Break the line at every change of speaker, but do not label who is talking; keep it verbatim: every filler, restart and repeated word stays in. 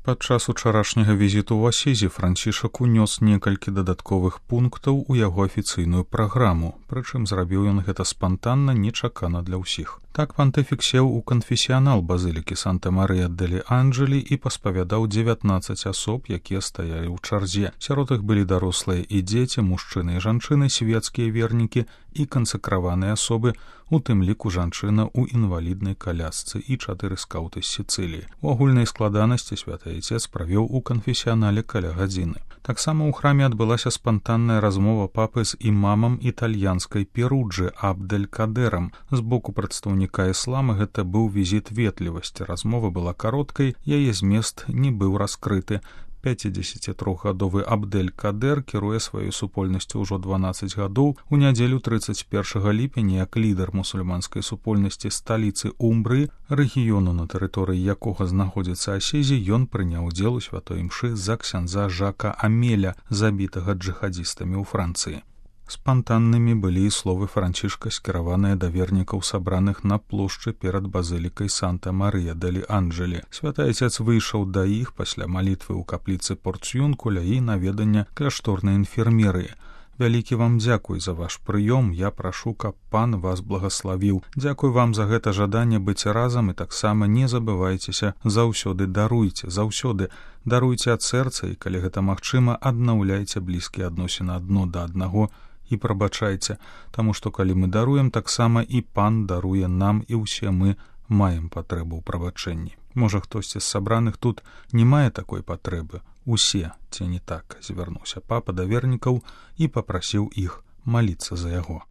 Падчас учарашняга візіту ў Асізі Францішак унёс некалькі дадатковых пунктаў у яго афіцыйную праграму, прычым зрабіў ён гэта спантанна, нечакана для ўсіх. Так пантыфік сеў у канфесіянал базылікі Санта-Марыя-дэлі-Анджелі і паспавядаў дзевятнаццаць асоб, якія стаялі ў чарзе. Сярод іх былі дарослыя і дзеці, мужчыны і жанчыны, свецкія вернікі і кансакраваныя асобы, у тым ліку жанчына ў інваліднай калясцы і чатыры скаўты з Сіцыліі. У агульнай складанасці святы Айцец правёў у канфесіянале каля гадзіны. Таксама ў храме адбылася спантанная размова папы з імамам італьянскай Перуджы Абдель-Кадэрам. З боку прадстаўніка іслама гэта быў візіт ветлівасці. Размова была кароткай, яе змест не быў раскрыты. пяцідзесяцітрохгадовы Абдель-Кадэр кіруе сваёй супольнасцю ўжо дванаццаць гадоў. У нядзелю трыццаць першага ліпеня як лідар мусульманскай супольнасці сталіцы Умбрыі, рэгіёну, на тэрыторыі якога знаходзіцца Асізі, ён прыняў удзел у святой імшы за ксяндза Жака Амеля, забітага джыхадзістамі ў Францыі. Спантаннымі былі і словы Францішка, скіраваныя да вернікаў, сабраных на плошчы перад базылікай Санта-Марыя-дэлі-Анджелі. Святы Айцец выйшаў да іх пасля малітвы ў капліцы Порцюнкуля і наведання кляшторнай інфермерыі. Вялікі вам дзякуй за ваш прыём, я прашу, каб пан вас благаславіў. Дзякуй вам за гэта жаданне быць разам і таксама не забывайцеся, заўсёды даруйце, заўсёды даруйце ад сэрца і, калі гэта магчыма, аднаўляйце блізкія адносіны адно да аднаго і прабачайце, таму што калі мы даруем, таксама і пан даруе нам, і ўсе мы маем патрэбу ў прабачэнні. Можа, хтосьці з сабраных тут не мае такой патрэбы. Усе, ці не так, звярнуўся папа да вернікаў і папрасіў іх маліцца за яго.